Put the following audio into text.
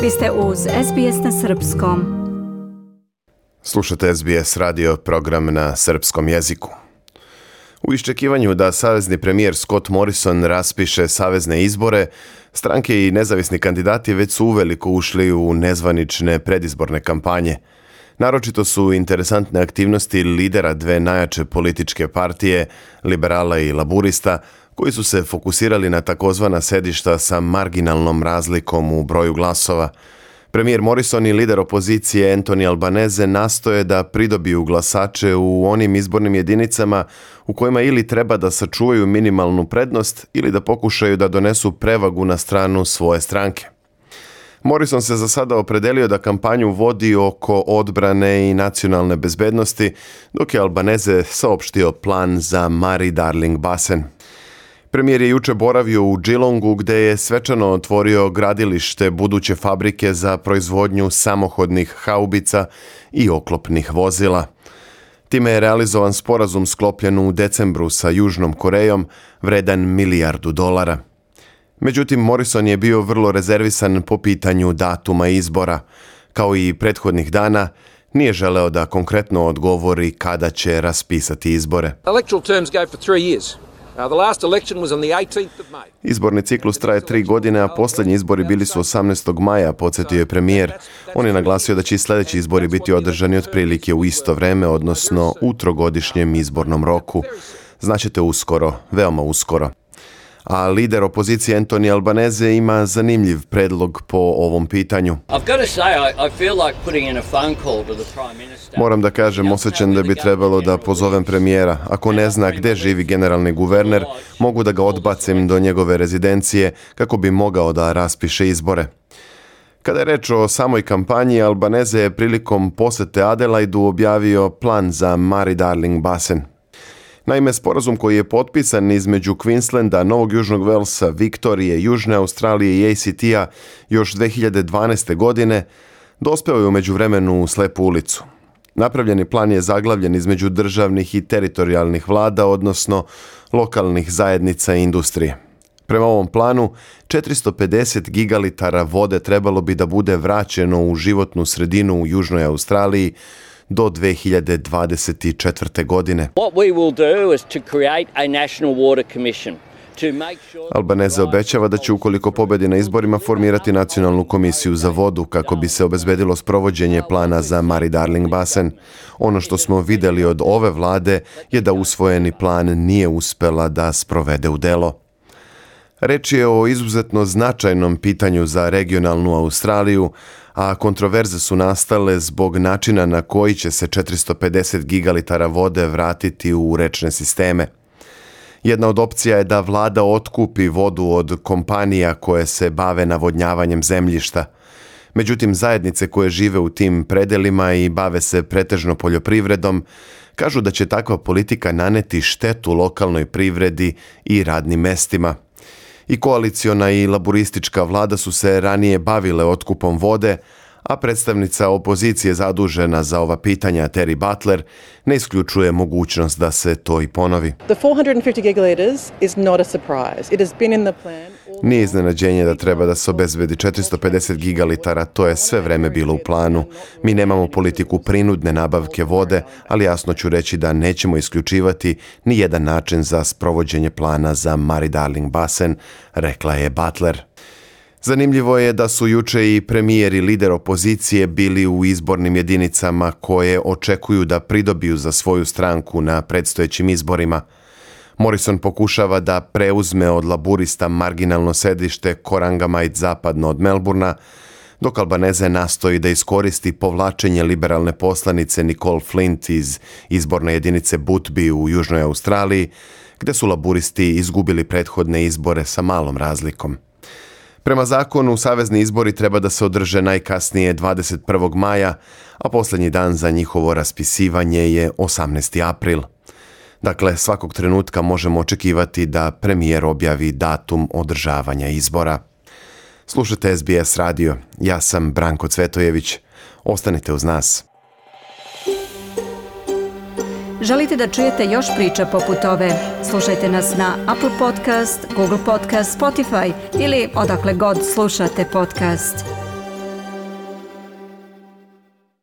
Vi ste uz SBS na srpskom. Slušate SBS radio, program na srpskom jeziku. U iščekivanju da savezni premijer Scott Morrison raspiše savezne izbore, stranke i nezavisni kandidati već su uveliko ušli u nezvanične predizborne kampanje. Naročito su interesantne aktivnosti lidera dve najjače političke partije, liberala i laburista, koji su se fokusirali na takozvana sedišta sa marginalnom razlikom u broju glasova. Premijer Morrison i lider opozicije Anthony Albanese nastoje da pridobiju glasače u onim izbornim jedinicama u kojima ili treba da sačuvaju minimalnu prednost ili da pokušaju da donesu prevagu na stranu svoje stranke. Morrison se za sada opredelio da kampanju vodi oko odbrane i nacionalne bezbednosti, dok je Albanese saopštio plan za Murray-Darling basen. Premijer je juče boravio u Geelongu gde je svečano otvorio gradilište buduće fabrike za proizvodnju samohodnih haubica i oklopnih vozila. Time je realizovan sporazum sklopljen u decembru sa Južnom Korejom vredan $1 milijardu. Međutim, Morrison je bio vrlo rezervisan po pitanju datuma izbora. Kao i prethodnih dana, nije želeo da konkretno odgovori kada će raspisati izbore. Izborni ciklus traje 3 godine, a posljednji izbori bili su 18. maja, podsjetio je premijer. On je naglasio da će i sljedeći izbori biti održani otprilike u isto vreme, odnosno u trogodišnjem izbornom roku. Znaćete uskoro, veoma uskoro. A lider opozicije Anthony Albanese ima zanimljiv predlog po ovom pitanju. Moram da kažem, osjećam da bi trebalo da pozovem premijera. Ako ne zna gde živi generalni guverner, mogu da ga odbacim do njegove rezidencije kako bi mogao da raspiše izbore. Kada je reč o samoj kampanji, Albanese je prilikom posete Adelaidu objavio plan za Murray-Darling basen. Naime, sporazum koji je potpisan između Queenslanda, Novog Južnog Velsa, Viktorije, Južne Australije i ACT-a još 2012. godine dospeo je u međuvremenu u slepu ulicu. Napravljeni plan je zaglavljen između državnih i teritorijalnih vlada, odnosno lokalnih zajednica i industrije. Prema ovom planu, 450 gigalitara vode trebalo bi da bude vraćeno u životnu sredinu u Južnoj Australiji do 2024. godine. Albanese obećava da će ukoliko pobedi na izborima formirati nacionalnu komisiju za vodu kako bi se obezbedilo sprovođenje plana za Murray-Darling basen. Ono što smo vidjeli od ove vlade je da usvojeni plan nije uspela da sprovede u delo. Reč je o izuzetno značajnom pitanju za regionalnu Australiju, a kontroverze su nastale zbog načina na koji će se 450 gigalitara vode vratiti u rečne sisteme. Jedna od opcija je da vlada otkupi vodu od kompanija koje se bave navodnjavanjem zemljišta. Međutim, zajednice koje žive u tim predelima i bave se pretežno poljoprivredom, kažu da će takva politika naneti štetu lokalnoj privredi i radnim mestima. I koaliciona i laburistička vlada su se ranije bavile otkupom vode, a predstavnica opozicije zadužena za ova pitanja Terry Butler ne isključuje mogućnost da se to i ponovi. Nije iznenađenje da treba da se obezbedi 450 gigalitara, to je sve vreme bilo u planu. Mi nemamo politiku prinudne nabavke vode, ali jasno ću reći da nećemo isključivati ni jedan način za sprovođenje plana za Murray-Darling basen, rekla je Butler. Zanimljivo je da su juče i premijer i lider opozicije bili u izbornim jedinicama koje očekuju da pridobiju za svoju stranku na predstojećim izborima. Morrison pokušava da preuzme od laburista marginalno sedište Corangamite zapadno od Melbourna, dok Albanese nastoji da iskoristi povlačenje liberalne poslanice Nicole Flint iz izborne jedinice Boothby u Južnoj Australiji, gde su laburisti izgubili prethodne izbore sa malom razlikom. Prema zakonu, savezni izbori treba da se održe najkasnije 21. maja, a posljednji dan za njihovo raspisivanje je 18. april. Dakle, svakog trenutka možemo očekivati da premijer objavi datum održavanja izbora. Slušajte SBS radio. Ja sam Branko Cvetojević. Ostanite uz nas. Želite da čujete još priča poput ove? Slušajte nas na Apple Podcast, Google Podcast, Spotify ili odakle god slušate podcast.